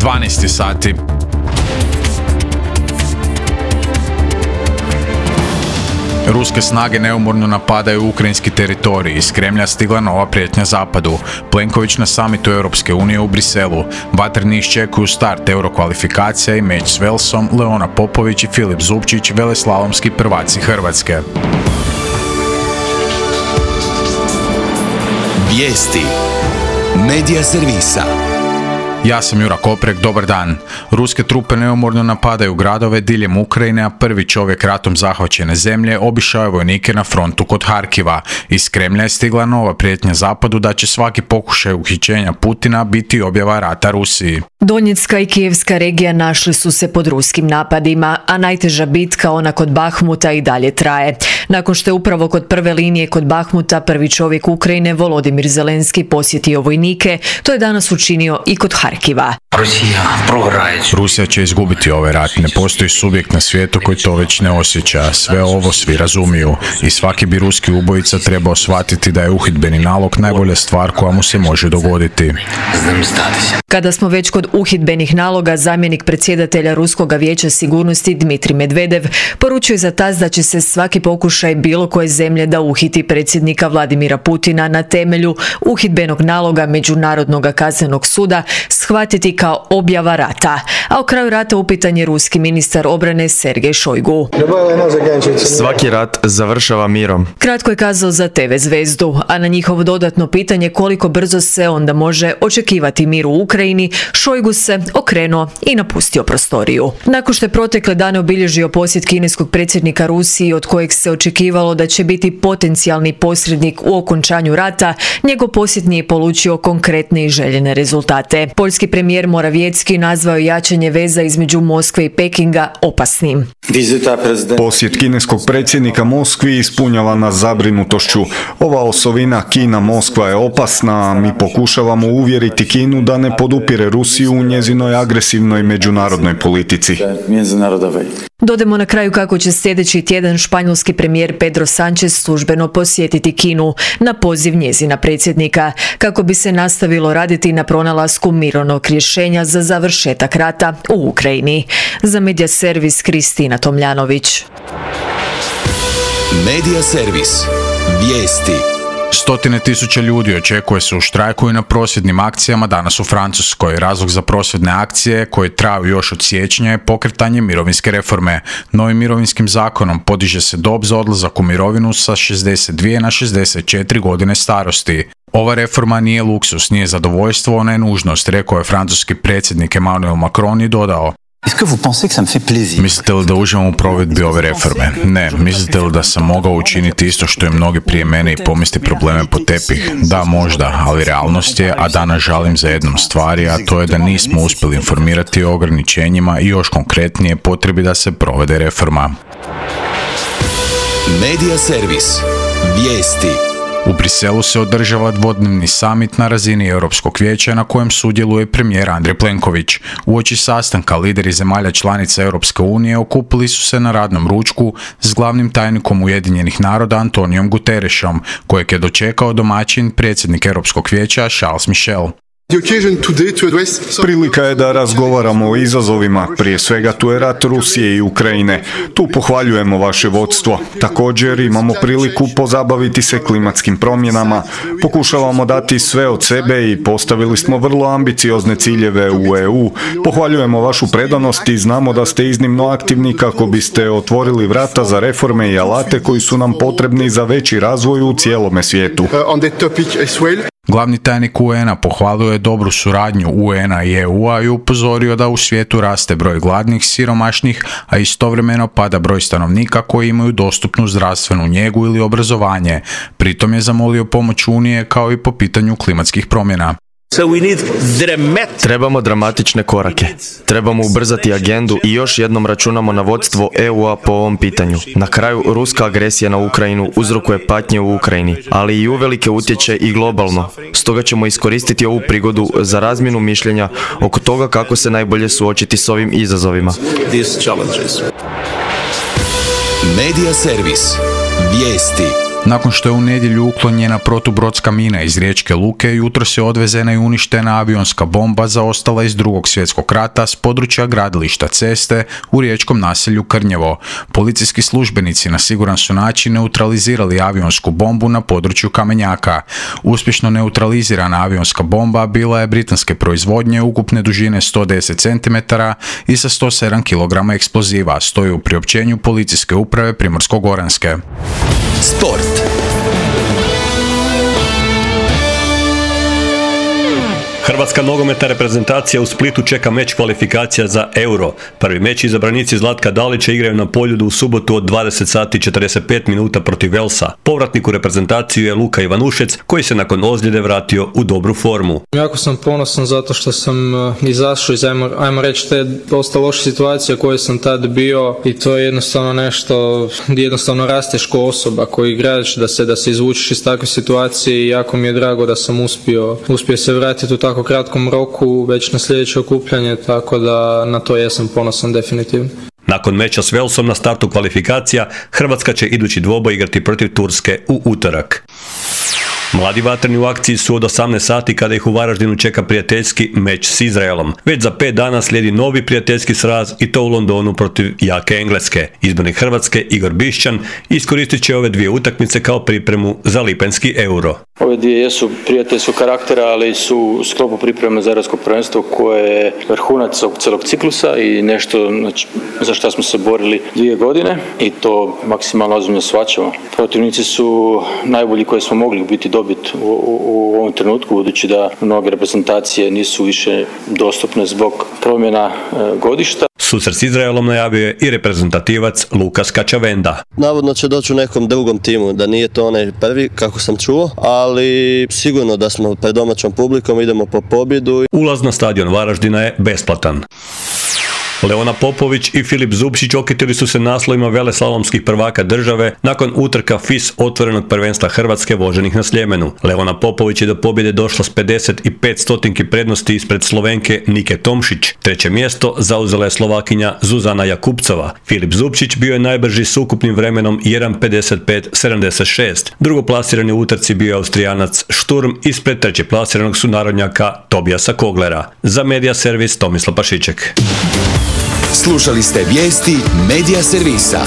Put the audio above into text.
12 sati. Ruske snage neumorno napadaju ukrajinski teritorij. Iz Kremlja stigla nova prijetnja zapadu. Plenković na samitu Europske unije u Briselu. Vatreni iščekuju start eurokvalifikacija i meč s Velsom, Leona Popović i Filip Zupčić, veleslalomski prvaci Hrvatske. Vijesti Medija servisa. Ja sam Jura Koprek, dobar dan. Ruske trupe neumorno napadaju gradove diljem Ukrajine, a prvi čovjek ratom zahvaćene zemlje obišao je vojnike na frontu kod Harkiva. Iz Kremlja je stigla nova prijetnja zapadu da će svaki pokušaj uhićenja Putina biti objava rata Rusiji. Donjecka i Kijevska regija našli su se pod ruskim napadima, a najteža bitka, ona kod Bahmuta, i dalje traje. Nakon što je upravo kod prve linije kod Bahmuta prvi čovjek Ukrajine, Volodimir Zelenski, posjetio vojnike, to je danas učinio i kod Harkiva. Rusija će izgubiti ovaj rat. Ne postoji subjekt na svijetu koji to već ne osjeća. Sve ovo svi razumiju. I svaki bi ruski ubojica trebao shvatiti da je uhidbeni nalog najbolja stvar koja mu se može dogoditi. Kada smo već kod uhidbenih naloga, zamjenik predsjedatelja Ruskog vijeća sigurnosti Dmitrij Medvedev poručuje za TASS da će se svaki pokušaj bilo koje zemlje da uhiti predsjednika Vladimira Putina na temelju uhidbenog naloga Međunarodnog kaznenog suda shvatiti kao objava rata. A u kraju rata upitan je ruski ministar obrane Sergej Šojgu. Svaki rat završava mirom. Kratko je kazao za TV Zvezdu, a na njihovo dodatno pitanje koliko brzo se onda može očekivati mir u Ukrajini, Šojgu se okrenuo i napustio prostoriju. Nakon što je protekle dane obilježio posjet kineskog predsjednika Rusiji, od kojeg se očekivalo da će biti potencijalni posrednik u okončanju rata, njegov posjet nije polučio konkretne i željene rezultate. Poljski premijer Morawiecki nazvao jačanje veza između Moskve i Pekinga opasnim. Posjet kineskog predsjednika Moskvi ispunjava nas zabrinutošću. Ova osovina Kina-Moskva je opasna, a mi pokušavamo uvjeriti Kinu da ne podupire Rusiju u njezinoj agresivnoj međunarodnoj politici. Dodajmo na kraju kako će sljedeći tjedan španjolski premijer Pedro Sánchez službeno posjetiti Kinu na poziv njezina predsjednika, kako bi se nastavilo raditi na pronalasku mirovnog rješenja za završetak rata u Ukrajini. Za Medija servis Kristina Tomljanović. Medija servis. Vijesti. Stotine tisuća ljudi očekuje se u štrajku i na prosvjednim akcijama danas u Francuskoj. Razlog za prosvjedne akcije, koje traju još od siječnja, je pokretanje mirovinske reforme. Novim mirovinskim zakonom podiže se dob za odlazak u mirovinu sa 62 na 64 godine starosti. Ova reforma nije luksus, nije zadovoljstvo, ona je nužnost, rekao je francuski predsjednik Emmanuel Macron i dodao: Mislite li da uživam u provedbi ove reforme? Ne. Mislite li da sam mogao učiniti isto što i mnogi prije mene i pomesti probleme pod tepih? Da, možda, ali realnost je, a danas žalim za jednom stvari, a to je da nismo uspjeli informirati o ograničenjima i još konkretnije potrebi da se provede reforma. Medija servis. Vijesti. U Briselu se održava dvodnevni samit na razini Europskog vijeća na kojem sudjeluje premijer Andrej Plenković. Uoči sastanka lideri zemalja članica Europske unije okupili su se na radnom ručku s glavnim tajnikom Ujedinjenih naroda Antonijom Guterresom, kojeg je dočekao domaćin predsjednik Europskog vijeća Charles Michel. Prilika je da razgovaramo o izazovima, prije svega tu je rat Rusije i Ukrajine. Tu pohvaljujemo vaše vodstvo. Također imamo priliku pozabaviti se klimatskim promjenama. Pokušavamo dati sve od sebe i postavili smo vrlo ambiciozne ciljeve u EU. Pohvaljujemo vašu predanost i znamo da ste iznimno aktivni kako biste otvorili vrata za reforme i alate koji su nam potrebni za veći razvoj u cijelome svijetu. Glavni tajnik UN-a pohvalio je dobru suradnju UN-a i EU-a i upozorio da u svijetu raste broj gladnih, siromašnih, a istovremeno pada broj stanovnika koji imaju dostupnu zdravstvenu njegu ili obrazovanje. Pritom je zamolio pomoć Unije kao i po pitanju klimatskih promjena. Trebamo dramatične korake. Trebamo ubrzati agendu i još jednom računamo na vodstvo EU-a po ovom pitanju. Na kraju, ruska agresija na Ukrajinu uzrokuje patnje u Ukrajini, ali i uvelike utječe i globalno. Stoga ćemo iskoristiti ovu prigodu za razmjenu mišljenja oko toga kako se najbolje suočiti s ovim izazovima. Medija servis. Vijesti. Nakon što je u nedjelju uklonjena protubrodska mina iz riječke luke, jutros je odvezena i uništena avionska bomba zaostala iz Drugog svjetskog rata s područja gradilišta Ceste u riječkom naselju Krnjevo. Policijski službenici na siguran su način neutralizirali avionsku bombu na području Kamenjaka. Uspješno neutralizirana avionska bomba bila je britanske proizvodnje ukupne dužine 110 cm i sa 107 kg eksploziva, stoji u priopćenju Policijske uprave Primorsko-goranske. Sport. Hrvatska nogometna reprezentacija u Splitu čeka meč kvalifikacija za Euro. Prvi meč izabranici Zlatka Dalića igraju na Poljudu u subotu od 20 sati 45 minuta protiv Velsa. Povratnik u reprezentaciju je Luka Ivanušec, koji se nakon ozljede vratio u dobru formu. Jako sam ponosan zato što sam izašao iz, ajmo reći, te dosta loše situacije koje sam tad bio, i to je jednostavno nešto gdje jednostavno rasteš ko osoba, koji igrač, da se izvučeš iz takve situacije, i jako mi je drago da sam uspio se vratiti u tako kratkom roku već na sljedeće okupljanje, tako da na to jesam ponosan definitivno. Nakon meča s Velsom na startu kvalifikacija, Hrvatska će idući dvoboj igrati protiv Turske u utorak. Mladi vatreni u akciji su od 18 sati kada ih u Varaždinu čeka prijateljski meč s Izraelom. Već za 5 dana slijedi novi prijateljski sraz, i to u Londonu protiv jake Engleske. Izbornik Hrvatske Igor Bišćan iskoristit će ove dvije utakmice kao pripremu za lipanjski Euro. Ove dvije jesu prijateljskog karaktera, ali su u sklopu pripreme za europsko prvenstvo koje je vrhunac celog ciklusa i nešto za što smo se borili 2 godine, i to maksimalno ozbiljno shvaćamo. Protivnici su najbolji koji smo mogli biti dobiti u ovom trenutku, budući da mnoge reprezentacije nisu više dostupne zbog promjena godišta. Susret s Izraelom najavio je i reprezentativac Lukas Kačavenda. Navodno će doći u nekom drugom timu, da nije to onaj prvi, kako sam čuo, ali sigurno da smo pred domaćom publikom, idemo po pobjedu. Ulaz na stadion Varaždina je besplatan. Leona Popović i Filip Zubčić okitili su se naslovima veleslalomskih prvaka države nakon utrka FIS otvorenog prvenstva Hrvatske voženih na Sljemenu. Leona Popović je do pobjede došla s 55 stotinki prednosti ispred Slovenke Nike Tomšić. Treće mjesto zauzela je Slovakinja Zuzana Jakubcova. Filip Zubčić bio je najbrži s ukupnim vremenom 1:55:76. Drugoplasirani u utrci bio je Austrijanac Šturm ispred trećeplasiranog sunarodnjaka Tobijasa Koglera. Za Medija servis Tomislav Pašiček. Slušali ste vijesti Medija servisa.